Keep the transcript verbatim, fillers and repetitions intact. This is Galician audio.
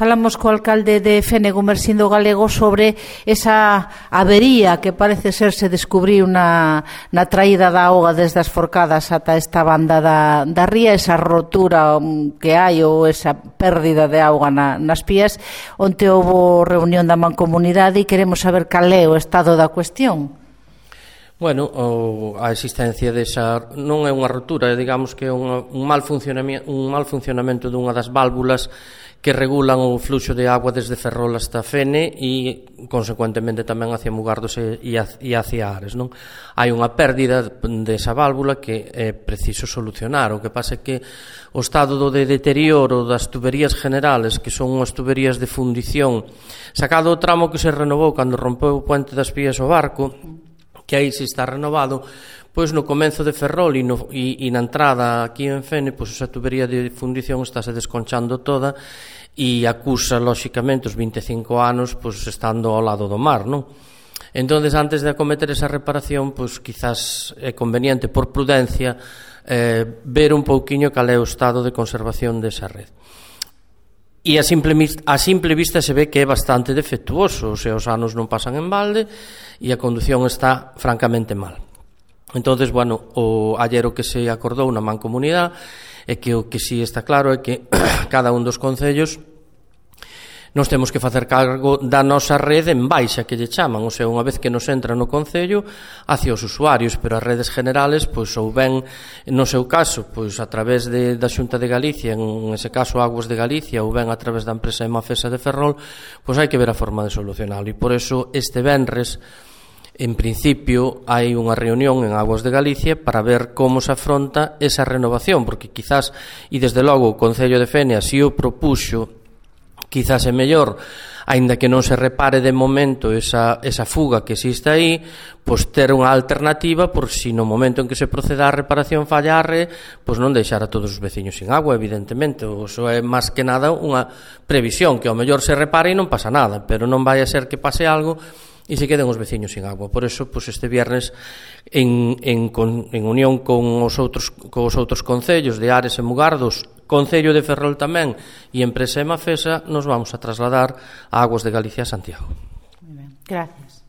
Falamos co alcalde de Fene, Gumersindo Galego, sobre esa avería que parece ser se descubriu na, na traída da auga desde as Forcadas ata esta banda da, da ría, esa rotura que hai ou esa pérdida de auga na, nas pías. Onte houve reunión da Mancomunidade e queremos saber cal é o estado da cuestión. Bueno, o, a existencia desa non é unha rotura, digamos que é unha, un, mal funcionamento, un mal funcionamento dunha das válvulas que regulan o fluxo de agua desde Ferrol hasta Fene e, consecuentemente, tamén hacia Mugardos e, e hacia Ares, non? Hai unha pérdida desa válvula que é preciso solucionar. O que pasa é que o estado do de deterioro das tuberías generales, que son unhas tuberías de fundición, sacado o tramo que se renovou cando rompeu o puente das Pías o barco, que aí se está renovado, pois no comenzo de Ferrol e, no, e, e na entrada aquí en Fene, pois esa tubería de fundición estáse desconchando toda e acusa, lóxicamente, os vinte e cinco anos pois estando ao lado do mar, non? Entón, antes de acometer esa reparación, pois quizás é conveniente, por prudencia, eh, ver un pouquiño cal é o estado de conservación desa red. E a simple, a simple vista se ve que é bastante defectuoso, o sea, os anos non pasan en balde e a condución está francamente mal. Entonces, bueno, o ayer o que se acordou na Mancomunidade é que o que si está claro é que cada un dos concellos nos temos que facer cargo da nosa rede en baixa, que lle chaman, ou sea, unha vez que nos entra no concello hacia os usuarios, pero as redes generales, pois, ou ben, no seu caso, pois, a través de, da Xunta de Galicia, en ese caso Aguas de Galicia, ou ben a través da empresa Emafesa de Ferrol, pois hai que ver a forma de solucionarlo. E por eso este venres, en principio, hai unha reunión en Aguas de Galicia para ver como se afronta esa renovación, porque quizás, e desde logo o Concello de Fene así o propuxo, quizás é mellor, aínda que non se repare de momento esa, esa fuga que existe aí, pois ter unha alternativa por si no momento en que se proceda a reparación fallarre, pois non deixar a todos os veciños sin agua, evidentemente. Iso é máis que nada unha previsión, que ao mellor se repare e non pasa nada, pero non vai a ser que pase algo e se queden os veciños sin agua. Por eso, pois este viernes, en, en, en unión con os outros, con os outros concellos de Ares e Mugardos, Concello de Ferrol tamén e empresa Emafesa, nos vamos a trasladar a Aguas de Galicia a Santiago. Muy ben. Gracias.